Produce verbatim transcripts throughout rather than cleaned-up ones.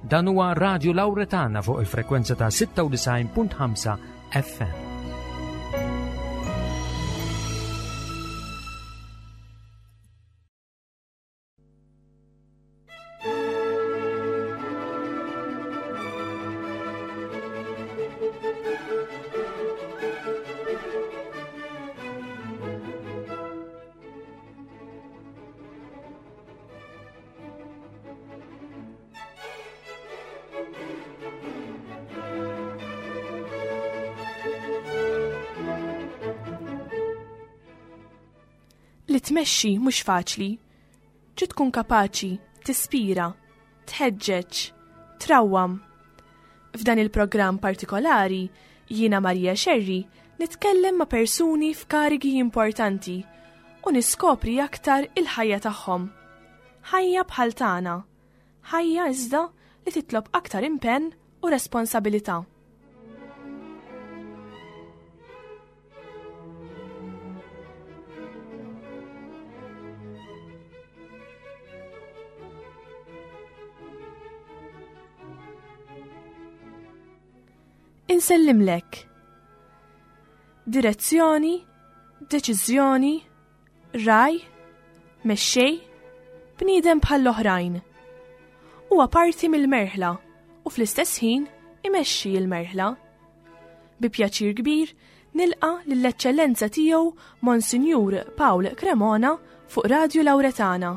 Dan huwa Radio Lauretana fuq il-frekwenza ta' sitta u disgħin punt ħamsa F M. Li tmexxi mhux faċli. Trid tkun kapaċi tispira, tħeġġeġ, trawwam. F'dan il-programm partikolari, jiena Maria Scerri nitkellem ma' persuni f'karigi importanti u niskopri aktar il-ħajja tagħhom. Ħajja bħal tagħna, ħajja iżda li titlob aktar impenn u responsabilità. Insellimlek. Direzzjoni, deċiżjoni, ragħaj, mexxej, bniedem bħall-oħrajn. Huwa parti mill-merħla u fl-istess ħin imexxi l-merħla. Bi pjaċir kbir nilqa lill-Eċċellenza tiegħu Monsinjur Paul Cremona fuq Radio Lauretana.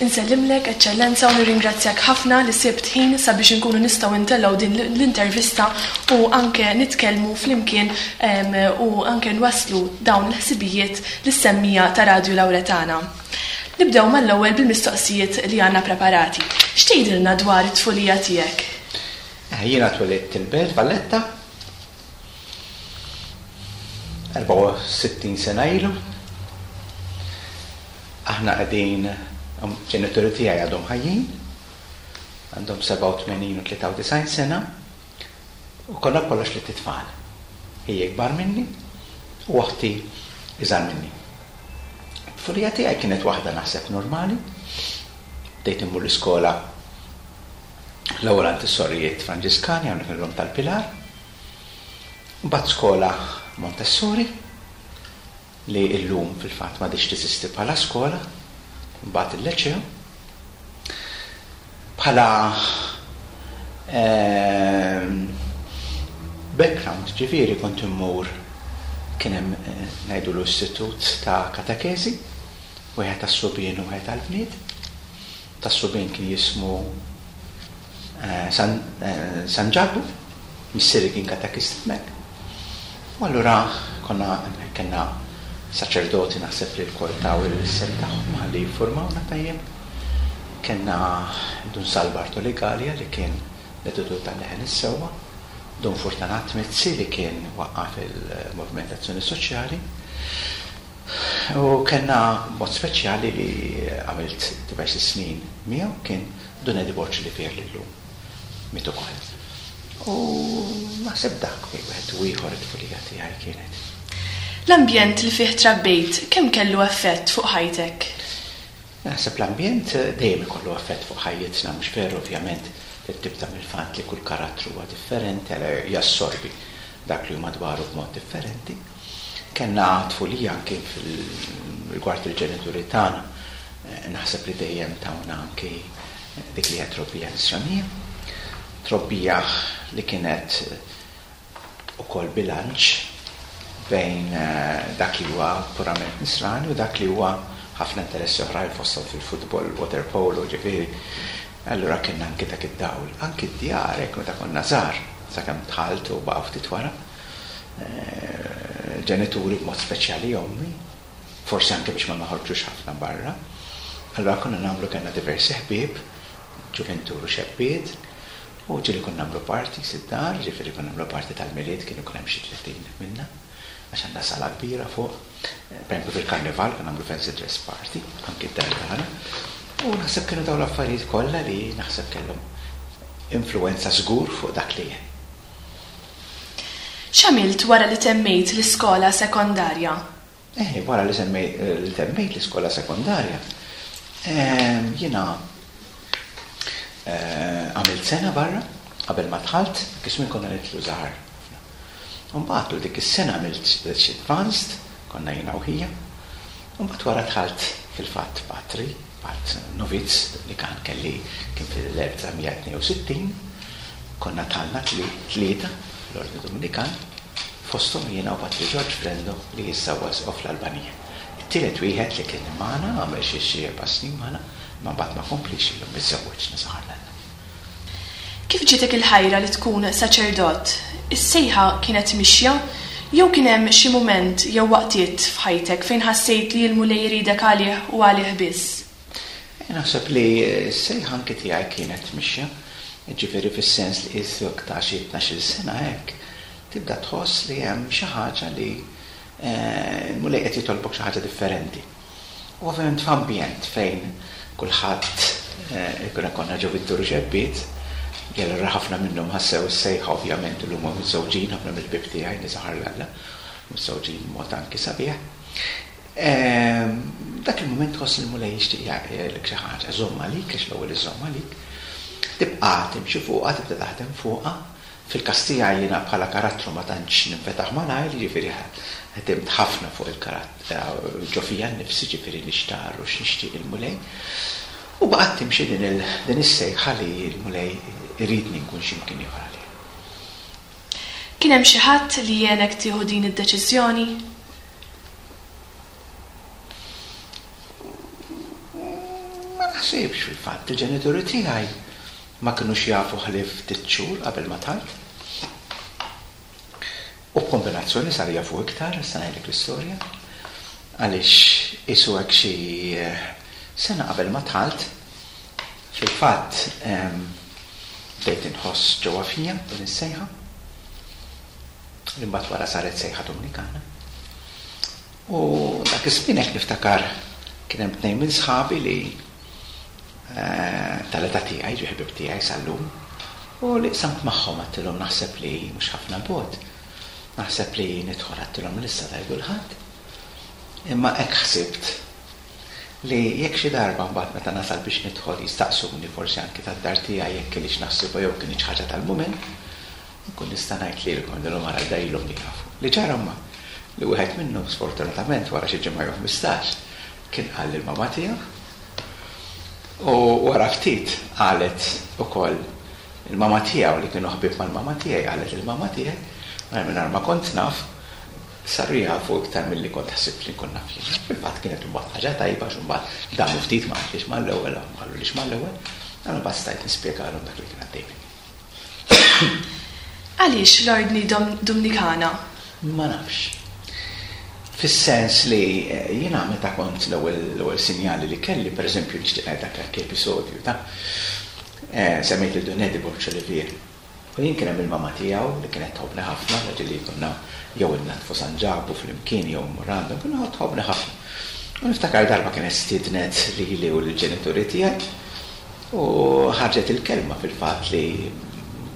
Insellimlek, Eċċellenza, u nirringrazzjak ħafna li sibt ħin sabiex inkunu nistgħu ntellgħu din l-intervista u anke nitkellmu flimkien em, u anke nwaslu dawn l-ħsibijiet lis-semmiegħa ta' Radio Lauretana. Nibdew mal-ewwel bil-mistoqsijiet li għandna preparati. X'tgħidilna dwar it-tfulija tiegħek? Eh, Jiena twelidt il-Belt Valletta erbgħa u sittin sena ilu. Aħna qegħdin, um, ġenituri tiegħi għadhom ħajjin, għandhom sebgħa u tmenin u tlieta u disgħin sena, u konna kollox tlett itfal. Ħija ikbar minni u oħti iżgħar minni. Tfulija tiegħi kienet waħda, naħseb, normali. Bdejt immur l-iskola l-ewwel għand is-sorijiet Franġiskani hawnhekk illum tal-Pilar. Mbagħad skola Montessori li illum fil-fatt m'għadhiex teżisti bħala skola, mbagħad il-Liceo. Bħala ehm, background, ġifieri, kont immur, kien hemm eh, ngħidu l-istitut ta' katekezi, wieħed tas-subien u wieħed tal-bniet. Tas-subien kien jismu eh, San, eh, San Ġakbu, missieri kien katekist hemmhekk. U allura konna hemmhekk, kellna saċerdoti, naħseb li lkoll taw is-sehem tagħhom ħalli jiffurmawna tajjeb. Kellna Dun Sal Bartoli Gallia li kien l-editur tal-Leħen is-Sewwa, Dun Fortunat Mizzi li kien waqqaf il-Moviment Azzjoni Soċjali. U kellna mod speċjali li għamilt diversi snin miegħu, kien Dun Eddie Borg li fier li llum miet ukoll. U naħseb dak bejn wieħed u ieħor it-tfulija tiegħi kienet. L-ambjent li fih trabbejt kemm kellu effett fuq ħajtek? Naħseb l-ambjent dejjem ikollu effett fuq ħajjitna, mhux veru? Ovvjament tibda mill-fatt li kull karattru huwa differenti, għala jassorbi dak li huma madwaru b'mod differenti. Kellna tfulija anke fil-rigward il-ġenituri tagħna, eh, naħseb li dejjem tawna anke dik li hija trobbija nisranija. Trobbija li kienet ukoll bilanċ bejn eh, dak li huwa purament nisrani u dak li huwa ħafna interessi oħrajn, fosthom fil-futbol, water polo, ġifieri. Allura kellna anke dak id-dawl, anke d-djar hekk meta konna żgħar, sakemm dħalt u baqa' ftit wara. Eh, Ġenituri, b'mod speċjali ommi, forsi anke biex ma noħorġux ħafna barra. Allura konna nagħmlu, kellna diversi ħbieb, ġuventur u xebbiet, u ġieli konna nagħmlu party id-dar, ġifieri konna nagħmlu party tal-Milied, kienu kien hemm xi tletin minna. għax għandna sala kbira fuq. Per esempio fil-karnival kien nagħmlu fancy dress party, anki d-dar tagħna. U naħseb kienu dawn l-affarijiet kollha li naħseb kellhom influenza żgur fuq dak li jien. X'għamilt wara li temmejt l-iskola sekondarja? Eh, wara li li temmejt l-iskola sekondarja, ehm, jiena eh, għamilt sena barra qabel ma dħalt, kismin konna nitlu żgħar. Mbagħad dik is-sena għamilt xi advanced, konna jiena u ħija. Mbagħad wara dħalt fil-fatt patri, fatt novizz li kan kelli kien fil-elf disa' mija tnejn u sittin, konna dħalna tlieta l-Ordni Dominikan, fosthom jiena u Patri George Frendo li issa huwa isqof fl-Albanija. It-tielet wieħed li kien magħna għamel xi xi erba' snin magħna, ma mbagħad ma komplix illum miżżewweġ nisaħar l-Alla. Kif ġietek il-ħajra li tkun saċerdot? Is-sejħa kienet mixja jew kien hemm xi mument jew waqtiet f'ħajtek fejn ħassejt li l-Mulej jridek għalih u għalih biss? Eh, naħseb li s-sejħa anke tiegħi kienet mixja, ġifieri fis-sens li qisek ta' xi tnax-il sena hekk, tibda tħoss li hemm xi ħaġa li, eh, l-Mulej qed jitolbok xi ħaġa differenti. U ovvjament f'ambjent fejn kulħadd, eh, ikun konna ġew id-dur xebbiet, allura ħafna minnhom ħassew is-sejħa ovvjament illum huma miżżewġin, ħafna mill-ħbieb tiegħi nisaħar l-Alla, miżżewġin mod anki sabiħ. Ehm, dak il-mument tħoss li l-Mulej jixtieq jagħmlek xi ħaġa, żomm għalik, għax l-ewwel iżomm għalik, tibqa' timxi fuqha, tibda taħdem fuqha. Fil-każ tiegħi jiena bħala karattru ma tantx ninfetaħ malajr, jiġifieri ħdimt ħafna fuq il-karattru ġo fija nnifsi, ġifieri nixtar u x'nixtieq il-Mulej. U baqgħet timxi din il-, din is-sejħa li l-Mulej iridni nkun x'imkien ieħor għalih. Kien hemm xi ħadd li għenek tieħu din id-deċiżjoni? Ma naħsibx fil-fatt, il-ġenituri tiegħi ma kinux jafu ħlief ftit xhur qabel ma dħalt. U b'kombinazzjoni sar jafu iktar, issa ngħidlek l-istorja, għaliex isu hekk xi sena qabel ma dħalt, fil-fatt, ehm, bdejt inħoss ġewwa fija din is-sejħa, li mbagħad wara saret sejħa Dominikana. U dak iż-żmien hekk niftakar kien hemm tnejn minn sħabi li, eh, tal-età tiegħi, ġie ħbieb tiegħi sal-lum, u li qsamt magħhom għedtilhom naħseb li mhux ħafna bogħod, naħseb li nidħol għedtilhom lissa tgħidu l-ħadd. Imma hekk ħsibt li jekk xi darba mbagħad meta nasal biex nidħol jistaqsuni forsi anki tad-dar tiegħi jekk kienx naħsibha jew kienx ħaġa tal-mument, nkun nista' ngħid lilkom ngħidilhom ara dajlhom li jafu. Li ġara ma li wieħed minnhom sfortunatament wara xi ġimgħa jew ħmistax kien qal lill-mamà tiegħu. U wara ftit qalet ukoll il-mamà tiegħu li kienu ħbieb mal-mamà tiegħi, qalet il-mamà tiegħi, ma mingħajr ma kont naf, saru jafu iktar milli kont ħsibt li nkun naf jien. Fil-fatt kienet imbagħad ħaġa tajba għax imbagħad damu ftit ma qalux mal-ewwel, ma qalulix mal-ewwel, allura mbagħad stajt nispjegalhom dak li kien għaddej minni. Għaliex l-Ordni Dom-, Dominikana? Ma nafx. Fis-sens li, eh, jiena meta kont l-ewwel, l-ewwel sinjali li kelli, pereżempju nixtieq ngħid dak l episodju ta' eh, semmejt lil Dun Eddie Borg Olivier. U jien kien hemm il-mama tiegħu li kienet tħobbni ħafna, raġel li konna jew innatfu San Ġakbu flimkien jew mmur għandhom, kienu tħobbni ħafna. U niftakar darba kienet stiednet lili u lill-ġenituri tiegħi u ħarġet il-kelma fil-fatt li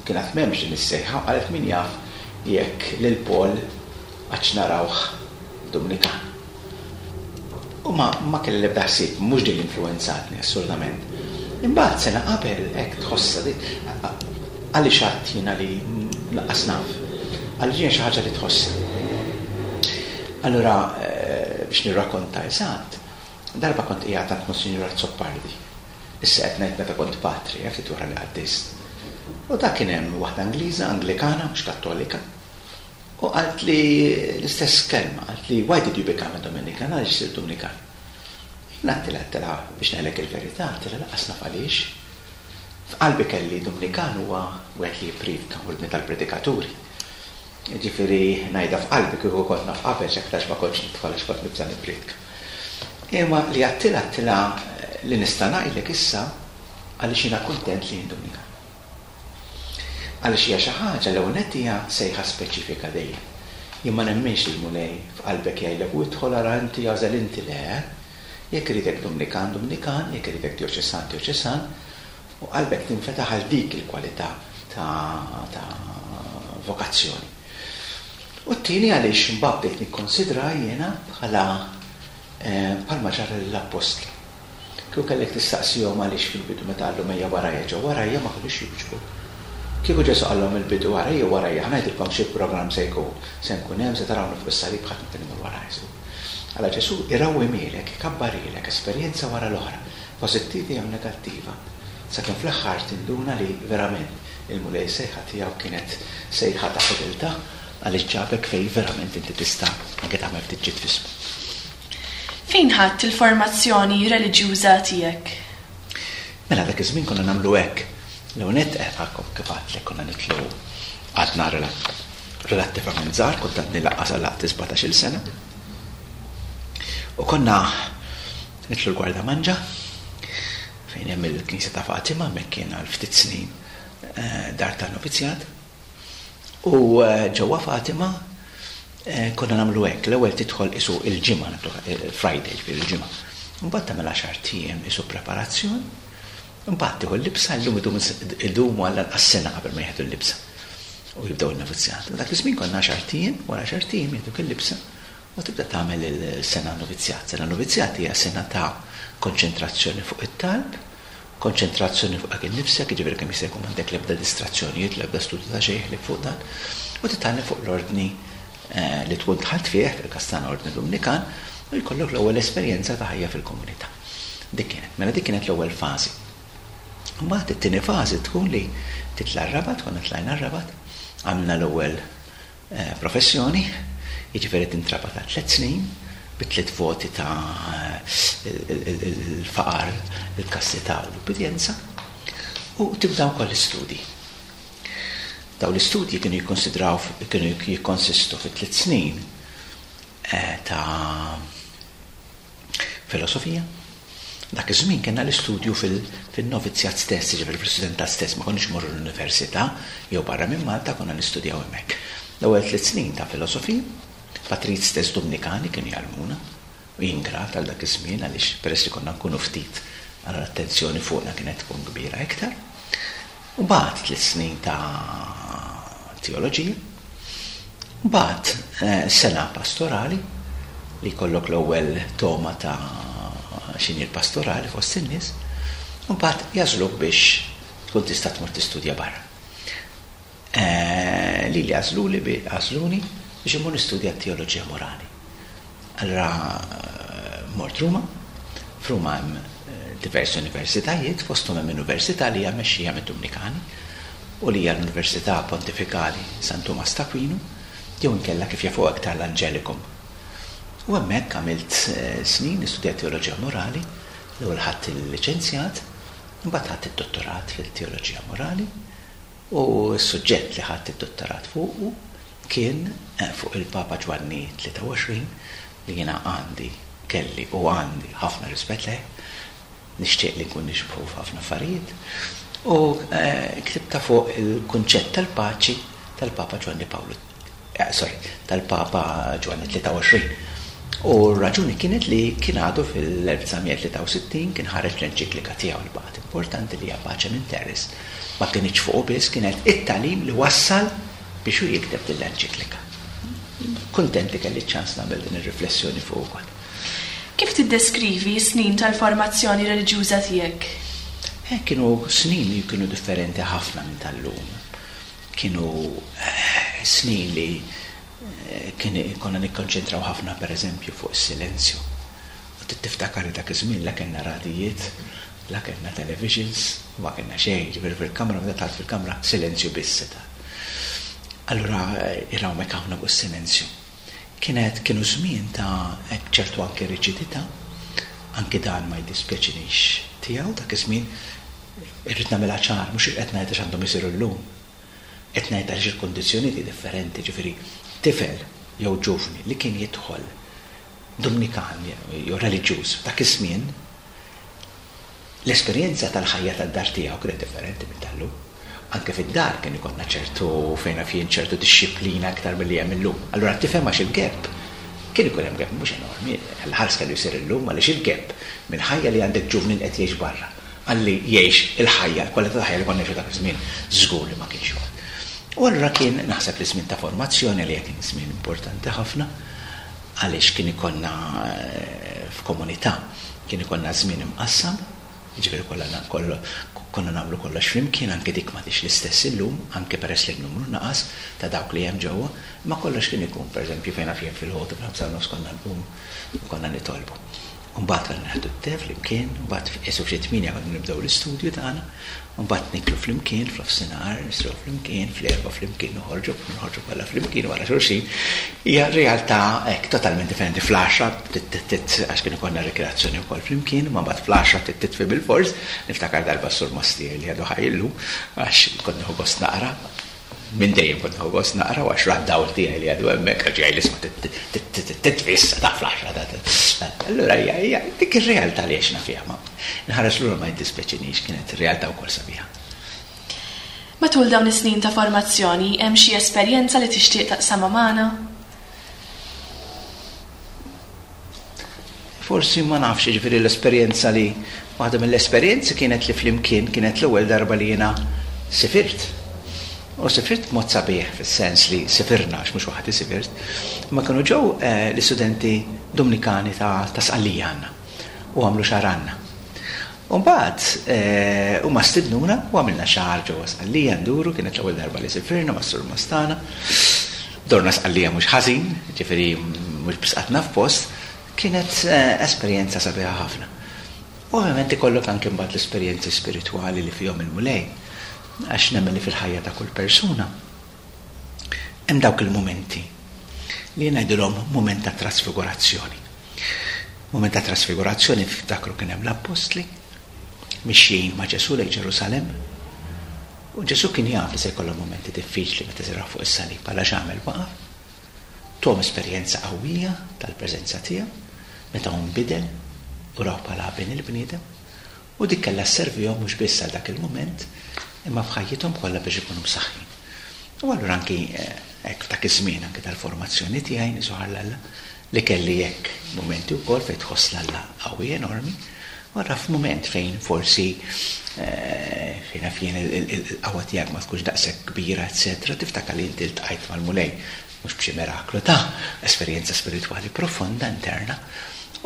kienet m'hemmx din is-sejħa, qalet min jaf jekk lil Paul għax narawh Dominikan. U ma, ma kelli l-ebda ħsieb, mhux din l-influenzatni assolutament. Imbagħad sena qabel hekk tħossha di, għaliex għadt jiena li lanqas naf, għaliex hija xi ħaġa li tħossha. Allura, eh, biex nirrakkonta eżatt, darba kont qiegħed għand Monsinjur Azzopardi. Issa qed ngħid meta kont patri, eh, ftit wara li għaddist. U dak kien hemm waħda Ingliża, Anglikana, mhux Kattolika. U qalt li l-istess kelma, qalt li why did you become a Dominican? Għaliex sirt Dominikan? Jien għedtilha, għedtilha biex ngħidlek il-verità, għedtilha lanqas naf għaliex. F'qalbi kelli Dominikan huwa wieħed li jippriedka ordni tal-predikaturi. Ġifieri ngħidha f'qalbi kieku kont naf qabel x'aktarx ma kontx nidħol għax kont nibża' nippriedka. Imma li għedtilha, għedtilha li nista' ngħidlek issa għaliex jiena kuntent li jien Dominikan. Għaliex hija xi ħaġa l-ewwel nett hija sejħa speċifika dejjem. Jien ma nemminx li l-Mulej f'qalbek jgħidlek u idħol ara inti għażel inti le. Jekk iridek Dumnikan, Dumnikan, jekk iridek djoċesan, djoċesan, u qalbek tinfetaħ għal dik il-kwalità ta', ta vokazzjoni. U t-tieni għaliex mbagħad bdejt nikkonsidra jiena bħala eh, bħalma ġara lill-appostli. Kieku kellek tistaqsihom għaliex fil-bidu meta qallu ejja warajja ġew warajja ma kinux jiġbu. Kieku Ġesù qallhom il-bidu warajja warajja ħa ngħidilkom xi programm se jkun, se nkun hemm se tarawni fuq is-salib ħadd ma kien imur wara Ġesù. Alla Ġesù irawwimilek, ikabbarilek esperjenza wara l-oħra, pożittiva jew negattiva, sakemm fl-aħħar tinduna li verament il-Mulej sejħa tiegħu kienet sejħa ta' fedeltà għaliex ġabek fej verament inti tista' anke tagħmel ftit ġid f'ismu. Fejn ħadt il-formazzjoni reliġjuża tiegħek? Mela dak iż-żmien konna nagħmlu hekk. L-ewwel nett għakom kif għedtlek konna nitlu għadna relattivament żgħar, kont għadni lanqas għalaqt sbatax-il sena. U konna nitlu l-Gwardamanġa fejn hemm il-Knisja ta' Fatima, hemmhekk kien għal ftit snin eh, dar tan-novizzjat. U eh, ġewwa Fatima eh, konna nagħmlu hekk, l-ewwel tidħol isu il-ġimgħa, nagħmlu, Friday ġifieri il-ġimgħa. Mbagħad tagħmel għaxar ijiem isu preparazzjoni, mbagħad tieħu l-libsa, llum idumu għal anqas sena qabel ma jieħdu l-libsa. U jibdew il-novizzjat. Dak iż-żmien konna għaxar ijiem, wara għaxar ijiem jieħduk il-libsa u tibda tagħmel il-sena novizzjat. Sena novizzjat hija sena ta' konċentrazzjoni fuq it-talb, konċentrazzjoni fuq innifsek, jiġifieri kemm jista' jkun m'għandek l-ebda distrazzjonijiet, l-ebda studju ta' xejn li fuq dan, u titgħallem fuq l-ordni eh, li tkun dħalt fih, fil-każ tagħna ordni Dumnikan, u jkollok l-ewwel esperjenza ta' ħajja fil-komunità. Dik kienet, mela dik kienet l-ewwel fażi. Mbagħad it-tieni fażi tkun li titla' r-Rabat, konna tlajna r-Rabat, għamilna l-ewwel eh, professjoni, jiġifieri tintrabat ta' tliet snin, bi tliet voti ta' il-faqar, il-kastità u l-ubbidjenza, u tibda wkoll l-istudji. Daw l-istudji kienu jikkonsidraw, kienu jikkonsistu fi tliet snin eh, ta' filosofija. Dak iż-żmien kellna l-istudju fil-novizzjat stess, jiġifieri fil-studentat stess, ma konniex morru l-università jew barra minn Malta konna nistudjaw hemmhekk. L-ewwel tliet snin ta' filosofija, patrijiet stess Dumnikani kienu jgħallmuna, u jien grat għal dak iż-żmien għaliex peress li konna nkunu ftit għal l-attenzjoni fuqna kienet tkun kbira iktar. U mbagħad tliet snin ta' teoloġija, mbagħad eh, sena pastorali li jkollok l-ewwel toma ta' x'inhi l-pastorali fost in-nies, u mbagħad jagħżluk biex tkun tista' tmur tistudja barra. Eh, li li għażluli bi għażluni biex immur nistudja teoloġija morali. Allora eh, mort Ruma, f'Ruma hemm eh, diversi universitajiet, fosthom hemm università li hija mmexxija mid-Dumnikani u li hija l-Università Pontifikali San Tumas t'Aquino, jew inkella kif jafu aktar l-Angelicum. U hemmhekk għamilt eh, snin nistudja teoloġija morali, l-ewwel ħadt il-liċenzjat, imbagħad ħadt id-dottorat fil-teoloġija morali, u s-suġġett li ħadt id-dottorat fuqu kien eh, fuq il-Papa Ġwanni tlieta u għoxrin, li jiena għandi, kelli u għandi ħafna rispett lejh, nixtieq li nkun nixbħu f'ħafna affarijiet, u, eh, ktibta fuq il-kunċett tal-paċi tal-Papa Ġwanni Pawlu, eh, sorry, tal-Papa Ġwanni tlieta u għoxrin. U r-raġuni kienet li kien għadu fil-elf disa' mija tlieta u sittin kien ħareġ l-enċiklika tiegħu li baqgħet importanti li hija Pacem in Terris. Ma kienx fuqu biss, kienet it-tagħlim li wassal biex hu jikteb din l-enċiklika. Kuntent li kelli ċans nagħmel din ir-riflessjoni fuq ukoll. Kif tiddeskrivi s-snin tal-formazzjoni reliġjuża tiegħek? Eh, kienu snin li kienu differenti ħafna minn tal-lum. Kienu, eh, snin li, eh, kien konna nikkonċentraw ħafna per eżempju fuq is-silenzju. U tiftakar dak iż-żmien la kellna radijiet, la kellna televisions, u ma kellna xejn, ġifieri fil-kamra, meta dħalt fil-kamra, silenzju biss seta'. Allura, eh, irawmek ħafna fuq is-silenzju. Kienet, kienu żmien ta' hekk ċertu anke riġidità, anke dan ma jdispjaċinix tiegħu dak iż-żmien irrid nagħmilha ċar, mhux qed ngħid għax għandhom isiru llum. Qed ngħid għaliex il-kondizzjonijiet differenti, ġifieri tifel jew ġuvni li kien jidħol Dumnikan jew reliġjuż dak iż-żmien, l-esperjenza tal-ħajja tad-dar tiegħu kienet differenti minn tal-lum. Anke fid-dar kien ikollna ċertu fejn fien ċertu dixxiplina aktar milli hemm illum. Allura tifhem għax il-gap kien ikun hemm gap mhux enormi, l-ħars kellu jsir illum għaliex il-gap mill-ħajja li għandek ġuvni qed jgħix barra għalli jgħix il-ħajja, l-kwalità ta' ħajja li konna ngħixu dak iż-żmien żgur li ma kienx joqgħod. U allura kien naħseb li żmien ta' formazzjoni li kien żmien importanti ħafna għaliex kien ikollna f'komunità, kien ikollna żmien imqassam, jiġifieri kollha kollu konna nagħmlu kollox flimkien, anke dik m'għadix l-istess illum, anke peress li n-numru naqas ta' dawk li hemm ġewwa, ma kollox kien ikun, pereżempju fejn naf jien filgħodu fil-ħamsa u nofs konna nqumu u konna nitolbu. U mbagħad konna nieħdu t-te flimkien, u mbagħad qisu f'xi tmienja konna nibdew l-istudju tagħna, u mbagħad niklu flimkien f'nofsinhar, nisru flimkien, fl-erba' flimkien noħorġu, noħorġu kollha flimkien wara xulxin. Hija realtà hekk totalment differenti. Fl-għaxra għax kien ikollna rikreazzjoni wkoll flimkien, ma mbagħad fl-għaxra titfi bil-fors, niftakar darba s-sur Mastier li għadu ħaj illum, għax kont nieħu gost naqra, minn dejjem kont nieħu gost naqra, u għax ra d-dawl tiegħi li għadu hemmhekk, għax jgħid isma' titfi issa ta' fl-għaxra. Allura hija hija dik ir-realtà li għexna fiha, ma nħares lura ma jiddispjaċinix, kienet realtà wkoll sabiħa. Matul dawn is-snin ta' formazzjoni hemm xi esperjenza li tixtieq taqsamha magħna? Forsi ma nafx, jiġifieri l-esperjenza li waħda mill-esperjenzi kienet li flimkien kienet l-ewwel darba li jiena sifirt. U sifirt b'mod sabiħ fis-sens li sifirna, għax mhux waħdi sifirt, ma kienu ġew l-istudenti Dominikani ta' Sqallija għandna u għamlu xahar għandna. U mbagħad huma stidnuna u għamilna xahar ġewwa Sqallija nduru, kienet l-ewwel darba li sifirna mas-Sur Mastana. Dorna Sqallija mhux ħażin, ġifieri mhux biss qatna f'post, kienet esperjenza sabiħa ħafna. U ovvjament ikollok anke mbagħad l-esperjenzi spiritwali li fihom il-Mulej, għax nemmen li fil-ħajja ta' kull persuna hemm dawk il-mumenti li ngħidulhom mument ta' trasfigurazzjoni. Mument ta' trasfigurazzjoni ftakru kien hemm l-appostli mixjin ma' Ġesù lejn Ġerusalemm, u Ġesù kien jaf li se jkollhom mumenti diffiċli meta siraw fuq is-salib, għala x'għamel waqaf, tuhom esperjenza qawwija tal-preżenza tiegħu meta hu nbidel u raw bħala bin il-bniedem, u dik kellha sservihom mhux biss għal dak il-mument imma f'ħajjithom kollha biex ikunu msaħħin. U allura anki hekk f'dak iż-żmien anki tal-formazzjoni tiegħi nisuħar l-Alla li kelli hekk mumenti wkoll fejn tħoss l-Alla qawwi enormi, wara f'mument fejn forsi fejn naf jien il-qawwa tiegħek ma tkunx daqshekk kbira, eċetera, tiftakar li inti ltqajt mal-Mulej mhux b'xi miraklu ta' esperjenza spiritwali profonda interna,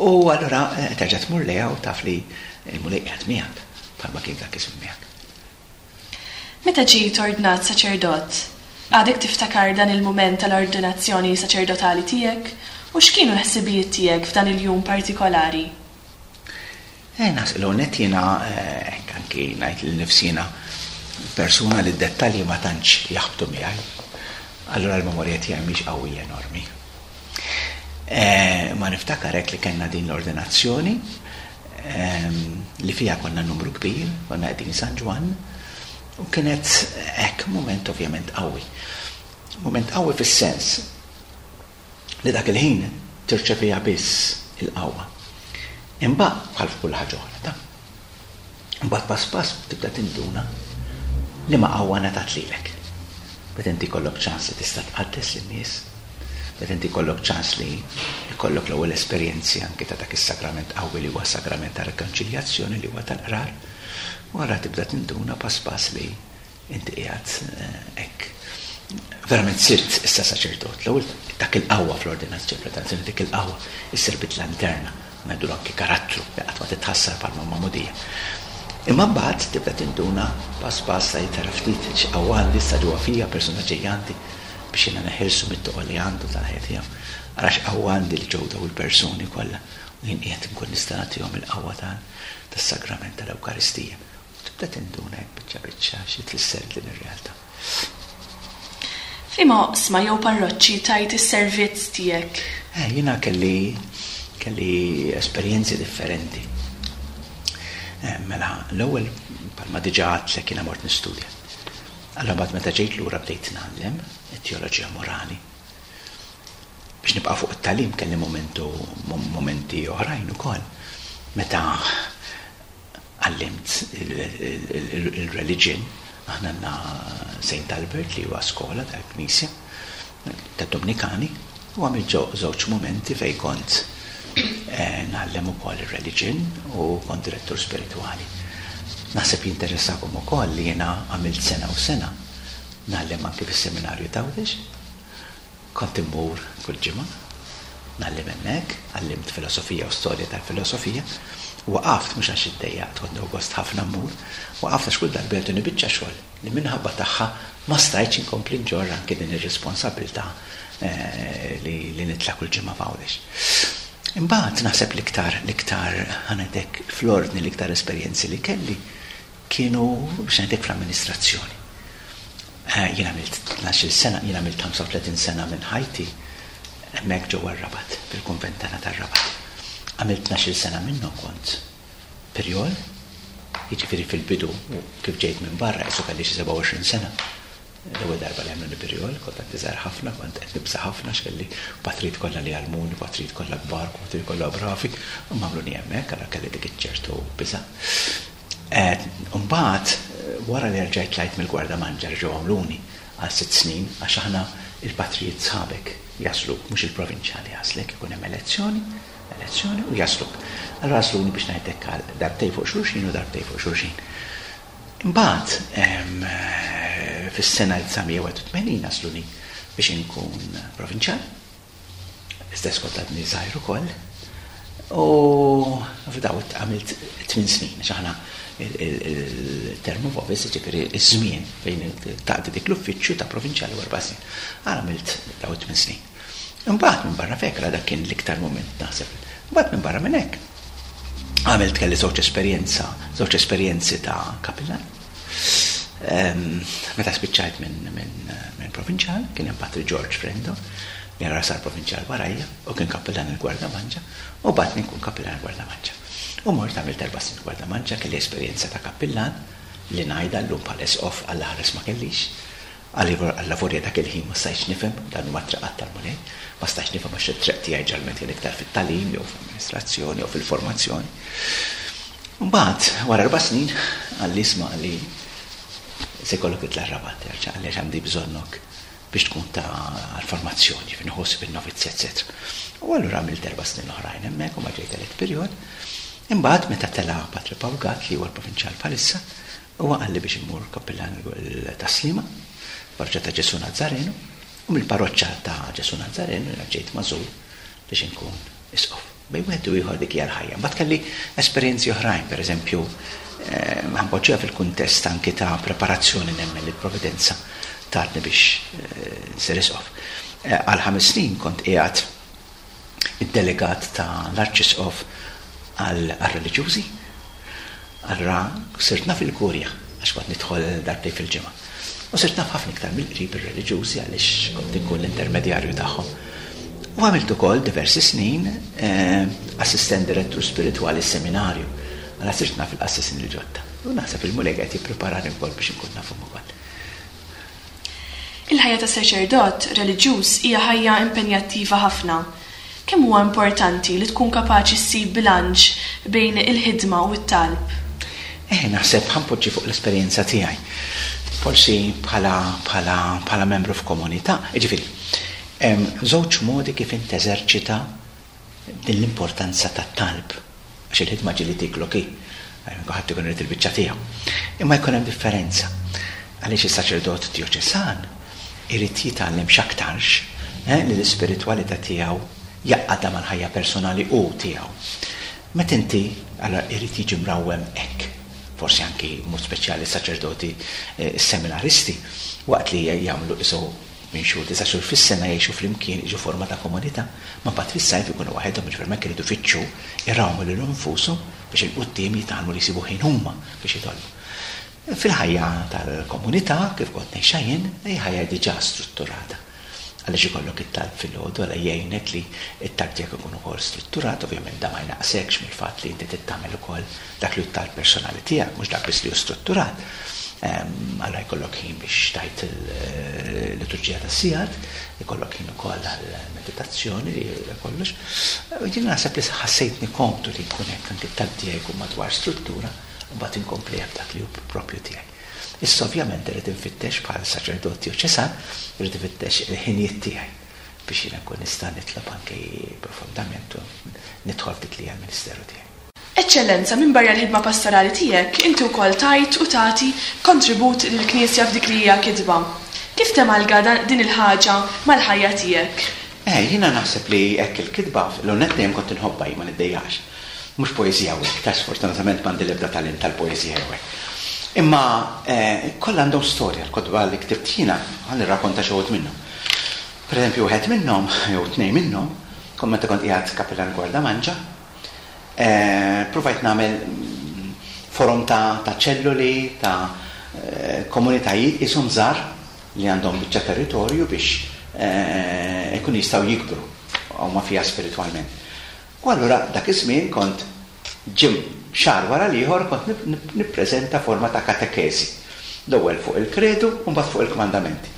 u allura terġa' tmur lejha u taf li l-Mulej qiegħed miegħek bħalma kien dak iż-żmien miegħek. Meta ġejt ordnat saċerdot, għadek tiftakar dan il-mument tal-ordinazzjoni saċerdotali tiegħek u x'kienu l-ħsibijiet tiegħek f'dan il-jum partikolari? Eh, naħseb l-għonet jiena, hekk anki ngħid lil nifsi jiena persuna li d-dettalji ma tantx jaħbtu miegħi. Allura l-memorja tiegħi mhix qawwija enormi. Ma niftakar hekk li kellna din l-ordinazzjoni li fiha konna numru kbir, konna qegħdin San Ġwann, u kienet hekk mument ovvjament qawwi. Mument qawwi fis-sens li dak il-ħin tirċeviha biss il-qawwa. Imbagħad bħal f'kull ħaġa oħra, ta' imbagħad pass pass tibda tinduna li ma qawwa ngħatat lilek. Meta inti jkollok ċans li tista' tqaddes lin-nies, meta inti jkollok ċans li jkollok l-ewwel esperjenzi anke ta' dak is-sagrament qawwi li huwa s-sagrament ta' rekonċiljazzjoni li huwa tal-qrar, wara tibda tinduna pass pass li inti qiegħed hekk. Verament sirt issa saċerdot. L-ewwel dak il-qawwa fl-ordinazzjoni, fl-ordinazzjoni dik il-qawwa issir bidla interna, ngħidu anke karattru li qatt ma titħassar bħalma magħmudija. Imma mbagħad tibda tinduna pass pass li tara ftit x'qawwa għandi issa ġewwa fija, persuna ġejja għandi biex jiena neħilsu mit-toqol li għandu tal-ħajja tiegħu. Ara x'qawwa għandi li ġew daw il-persuni kollha u jien qiegħed inkun nista' nagħtihom il-qawwa tas-sagrament tal-Ewkaristija. U tibda tinduna hekk biċċa biċċa xi tfisser din ir-realtà. F'liema oqsma jew parroċċi tajt is-servizz tiegħek? Eh, jiena kelli, kelli esperjenzi differenti. Eh, mela, l-ewwel bħalma diġà għedtlek jiena mort nistudja. Allura mbagħad meta ġejt lura bdejt ngħallem it-teoloġija morali. Biex nibqa' fuq it-tagħlim kelli momentu, momenti oħrajn ukoll. Meta għallimt il-religion, Aħna għandna Saint Albert li huwa skola tal-Knisja tad-Dominikani u għamilt żewġ momenti fejn kont eh, ngħallem ukoll ir-religion u kont direttur spiritwali. Naħseb jinteressakom ukoll li jiena għamilt sena u sena ngħallem anke fis-seminarju t'Għawdex. Kont immur kull ġimgħa ngħallem hemmhekk, għallimt filosofija u storja tal-filosofija. Waqaft mhux għax iddejjaqt, kont gost ħafna mmur, waqaft għax kull darba jagħtuni biċċa xogħol li minħabba tagħha ma stajtx inkompli nġorr anke din ir-responsabilità eh, li, li nitla' kull ġimgħa f'Għawdex. Imbagħad naħseb l-iktar l-iktar ħa ngħidlek fl-ordni l-iktar esperjenzi li kelli kienu biex ngħidlek fl-amministrazzjoni. Eh, jien għamilt tnax-il sena, jien għamilt ħamsa u tletin sena minn ħajti hemmhekk ġewwa r-Rabat, fil-kunvent tagħna tar-Rabat. Għamilt tnax-il sena minnhom kont pirjol, jiġifieri fil-bidu kif ġejt minn barra qisu kelli xi sebgħa u għoxrin sena. L-ewwel darba li għamluni pirjol, kont għadni żgħir ħafna, kont qed nibża' ħafna x'kelli patrijiet kollha li għallmuni, patrijiet kollha kbar, patrijiet kollha bravi, u għamluni hemmhekk, allura kelli dik iċ-ċertu biża'. Mbagħad wara li rġajt tlajt mill-Gwardamanġa ġew għamluni għal sitt snin, għax aħna il-patrijiet sħabek jagħżluk, mhux il-provinċjali jagħżlek, ikun hemm elezzjoni, elezzjoni u jagħżluk. Allura għażluni biex ngħidlek għal darbtejn fuq xulxin u darbtejn fuq xulxin. Imbagħad fis-sena elf disa' mija u wieħed u tmenin għażluni biex inkun provinċjal. Istess kont għadni żgħir ukoll. U f'daw għamilt tmien snin, għax aħna il-term of office, ġifieri iż-żmien fejn taqdi dik l-uffiċċju ta' provinċjali, erba' snin. Għal għamilt daw tmien snin. Imbagħad minn barra fekra dak kien l-iktar moment naħseb. Imbagħad minn barra minn hekk għamilt kelli żewġ esperjenza, żewġ esperjenzi ta' kapillan. Meta spiċċajt minn min, min provinċjal, kien hemm Patri George Frendo, li għara sar provinċjal warajja, u kien kappillan il-Gwardamanġa, u bagħatni nkun kappillan il-Gwardamanġa. U mort għamilt erba' snin Gwardamanġa, kelli esperjenza ta' kappillan li ngħidha llum bħal isqof għall-ħares ma kellix. Għall-lavorja dak il-ħin ma stajtx nifhem, dan huma triqat tal-Mulej, ma stajtx nifhem għax it-triq tiegħi ġalment kien iktar fit-tagħlim jew fl-amministrazzjoni jew fil-formazzjoni. Mbagħad wara erba' snin qalli, "Isma'," qalli, "se jkollok titla' Rabat, terġa'," qalli, "għandi bżonnok biex tkun ta' għal-formazzjoni, fin ħossib il-novizzi, eccetera." U allura għamilt erba' snin oħrajn hemmhekk u ma ġejt elett pirjol. Imbagħad meta tela' Patri Paul Gatt, li huwa l-provinċjal bħalissa, huwa qalli biex immur kappillan Tas-Sliema, parroċċa ta' Ġesu Nazzarenu, u mill-parroċċa ta' Ġesu Nazzarenu jiena ġejt magħżul biex inkun isqof. Bejn wieħed u ieħor dik hija l-ħajja. Mbagħad kelli esperjenzi oħrajn, pereżempju, ħa npoġġiha fil-kuntest anki ta' preparazzjoni, nemmen li l-providenza tatni biex nsir isqof. Għal ħames snin kont qiegħed id-delegat ta' l-Arċisqof għal-reliġjużi. Allura sirt naf il-kurja, għax kont nidħol darbtejn fil-ġimgħa. U sirt naf ħafna iktar mill-qrib ir-reliġjużi għaliex kont inkun l-intermedjarju tagħhom. U għamilt ukoll diversi snin eh, assistent direttur spiritwali seminarju. Għala sirt naf il-qassisin il-ġodda. U naħseb il-Mulej qed jippreparani wkoll biex inkun nafhom ukoll. Il-ħajja ta' saċerdot reliġjuż hija ħajja impenjattiva ħafna. Kemm huwa importanti li tkun kapaċi ssib bilanċ bejn il-ħidma u t-talb? Eh, naħseb ħa npoġġi fuq l-esperjenza tiegħi. Forsi bħala bħala bħala membru f'komunità, jiġifieri, hemm żewġ modi kif int teżerċita din l-importanza tat-talb. Għax il-ħidma ġieli tiklok hi. Ħadd ikun irid il-biċċa tiegħu. Imma jkun hemm differenza. Għaliex is-saċerdot djoċesan irid jitgħallem x'aktarx eh, li l-ispiritwalità tiegħu jgħaqqadha mal-ħajja personali u tiegħu. Meta inti allora irid jiġi mrawwem hekk, forsi anki mod speċjali saċerdoti eh, seminaristi, waqt li jagħmlu isu minn xhur, disa' xhur fis-sena jgħixu flimkien, jiġu forma ta' komunità, ma mbagħad fis-sajf ikunu waħedhom, ġifier hekk iridu fittxu irawmu lil infushom biex 'il quddiem jitgħallmu li jsibu ħin huma biex jitolbu. Fil-ħajja tal-komunità, kif kont ngħixha jien, hija ħajja diġà strutturata. Għaliex ikollok it-talb fil-għodu, għala jgħinek li it-talb tiegħek ikun ukoll strutturat, ovvjament da ma jnaqsekx mill-fatt li inti tagħmel ukoll dak li t-talb personali tiegħek, mhux dak biss li hu strutturat. Allora jkollok ħin biex tgħid il-liturġija tas-sigħat, jkollok ħin ukoll għall-meditazzjoni li kollox. Jien naħseb li ħassejtni komdu li jkun hekk, anke t-talb tiegħi jkun madwar struttura u mbagħad inkompli dak li hu propju tiegħi. Issa ovvjament irrid infittex bħal saċerdot djoċesan, irrid infittex il-ħinijiet tiegħi biex jiena nkun nista' nitlob anke profondament u nidħol f'dik li hija l-ministeru tiegħi. Eċċellenza, minn barra l-ħidma pastorali tiegħek, inti wkoll tajt u tagħti kontribut lill-Knisja f'dik li hija kitba. Kif temalga din il-ħaġa mal-ħajja tiegħek? Eh, jiena naħseb li hekk il-kitba, l-onet dejjem kont inħobbha jien, ma niddejjax. Mhux poeżija u hekk, ta' sfortunatament m'għandi l-ebda talent tal-poeżija jew hekk. Imma kollha għandhom storja, l-kotba li ktibt jiena, ħa nirrakkonta xi wħud minnhom. Per eżempju, wieħed minnhom, jew tnejn minnhom, kont meta kont qiegħed Kapellan Gwardamanġa, provajt nagħmel forom ta' ta' ċelluli, ta' komunitajiet qishom żgħar li għandhom biċċa territorju biex ikunu jistgħu jikbru huma fiha spiritwalment. U allura dak iż-żmien kont ġim xahar wara l-ieħor kont nippreżenta forma ta' katekeżi. L-ewwel fuq il-kredu u mbagħad fuq il-kmandamenti.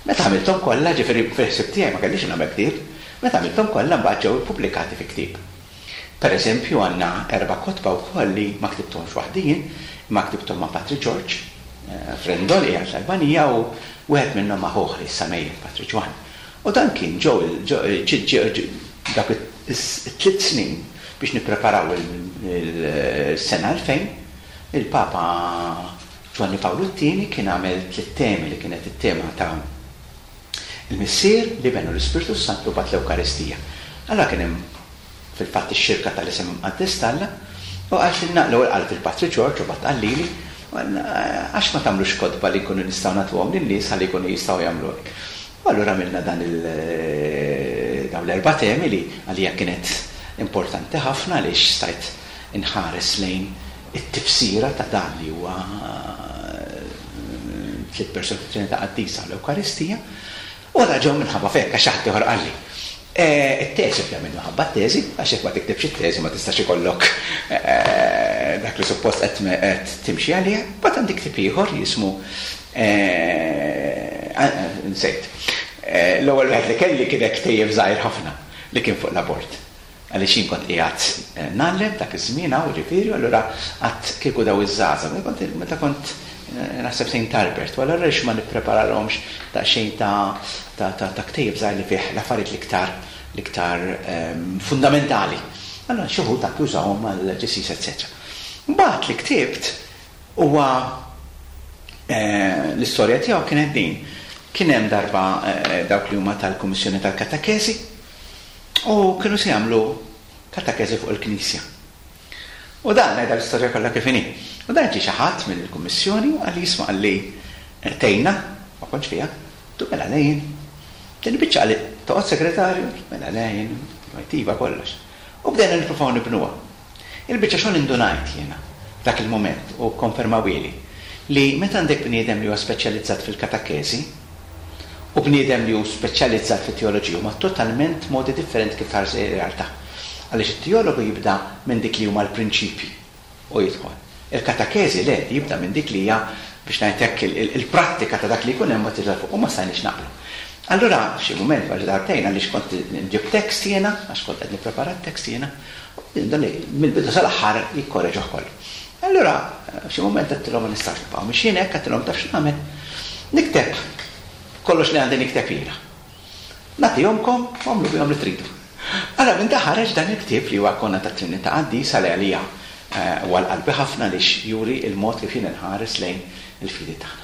Meta għamilthom kollha, ġifieri fil-ħsieb tiegħi ma kellix nagħmel ktieb, meta għamilthom kollha mbagħad ġew ippubblikati fi ktieb. Per eżempju, għandna erba' kotba wkoll li ma ktibthomx waħdi jien, imma ktibthom ma' Patri George Frendo li qiegħed l-Albanija u wieħed minnhom ma' ħuh li issa mejjet, Patri Ġwann. U dan kien ġew dak it-tliet snin biex nippreparaw il-sena elfejn, il-Papa Ġwanni Pawlu t-tieni kien għamel tliet temi li kienet it-tema ta' il-Missier, l-Iben u l-Ispirtu Santu bat l-Ewkaristija. Allora kien hemm fil-fatt ix-xirka tal-isem imqaddes t'Alla, u qaltilna, l-ewwel qalet il-Patri George u bat qallili, għax ma tagħmlux kotba li nkunu nistgħu nagħtuhom lin-nies ħalli jkunu jistgħu jagħmlu hekk. U allura għamilna dan il dawn l-erba' temi li għalija kienet importanti ħafna għaliex stajt inħares lejn it-tifsira ta' dan li huwa tliet persuni fit-Trinità Qaddisa u l-Ewkaristija. U għara ġew minħabba f'hekk għax ħadd ieħor qalli. It-teżi ovvjament minħabba t-teżi, għax jekk ma tiktibx it-teżi ma tistax ikollok dak li suppost qed timxi għaliha. Mbagħad għandi ktieb ieħor jismu nsejt. L-ewwel wieħed li kelli kien hekk ktejjeb żgħir ħafna li kien fuq l-abort. Għaliex jien kont qiegħed ngħallem dak iż-żmien hawn ġifieri, allura qatt kieku daw iż-żgħażagħ, meta kont naħseb Saint Albert, u allura għaliex ma nippreparalhomx daqsxejn ta' ta' ta' ktejjeb żgħir li fih l-affarijiet l-iktar l-iktar fundamentali. Allura xi wħud anke jużawhom għall-ġisís, eċċetera. Mbagħad li ktibt huwa l-istorja tiegħu kienet din. Kien hemm darba dawk li huma tal-Kummissjoni tal-Katakesi u kienu se jagħmlu katakesi fuq il-Knisja. U dan ngħidha l-istorja kollha kif inhi. U dan ġie xi ħadd mill-Kummissjoni u qalli jisma' qalli tgħinna, ma kontx fiha, tu mela lejn. Din il-biċċa qalli toqgħod segretarju, mela lejn, iva kollox. U bdejna nippruvaw nibnuha. Il-biċċa xogħol indunajt jiena f'dak il-mument u konfermawili li meta għandek bniedem li huwa speċjalizzat fil-katakesi u bniedem li hu speċjalizzat fit-teoloġija huma totalment modi differenti kif tħares ir-realtà. Għaliex it-teologu jibda minn dik li huma l-prinċipji u jidħol. Il-katakesi le, jibda minn dik li hija biex ngħid hekk il-prattika ta' dak li jkun hemm ma tidher fuq u ma stajniex naqblu. Allura f'xi mument wara darbtejn għaliex kont nġib tekst jiena, għax kont qed nipprepara t-tekst jiena, dan mill-bidu sal-aħħar jikkoreġuh kollu. Allura f'xi mument għedtilhom ma nistax nibqgħu mixjin hekk, għedtilhom taf x'nagħmel. Nikteb kollox li għandi nikteb jiena. Nagħtihomkom u għamlu bihom li tridu. Allora minn ħareġ dan il-ktieb li huwa Konna tat-Trinità Qaddisa li għalija huwa l-qalbi ħafna għaliex juri il-mod kif jien inħares lejn il-fidi tagħna.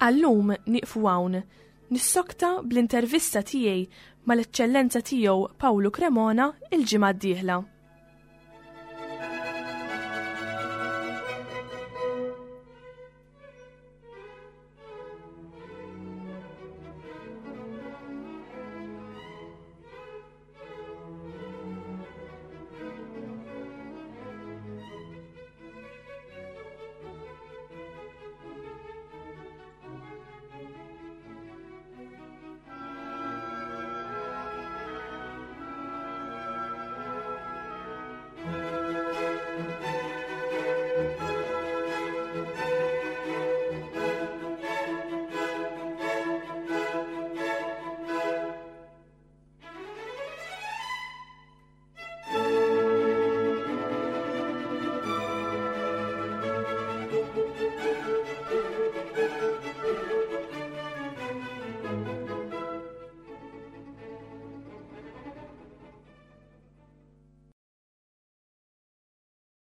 Għallum nieqfu hawn, nissokta bl-intervista tiegħi mal-eċċellenza tiegħu Pawlu Cremona il-ġimgħa d-dieħla.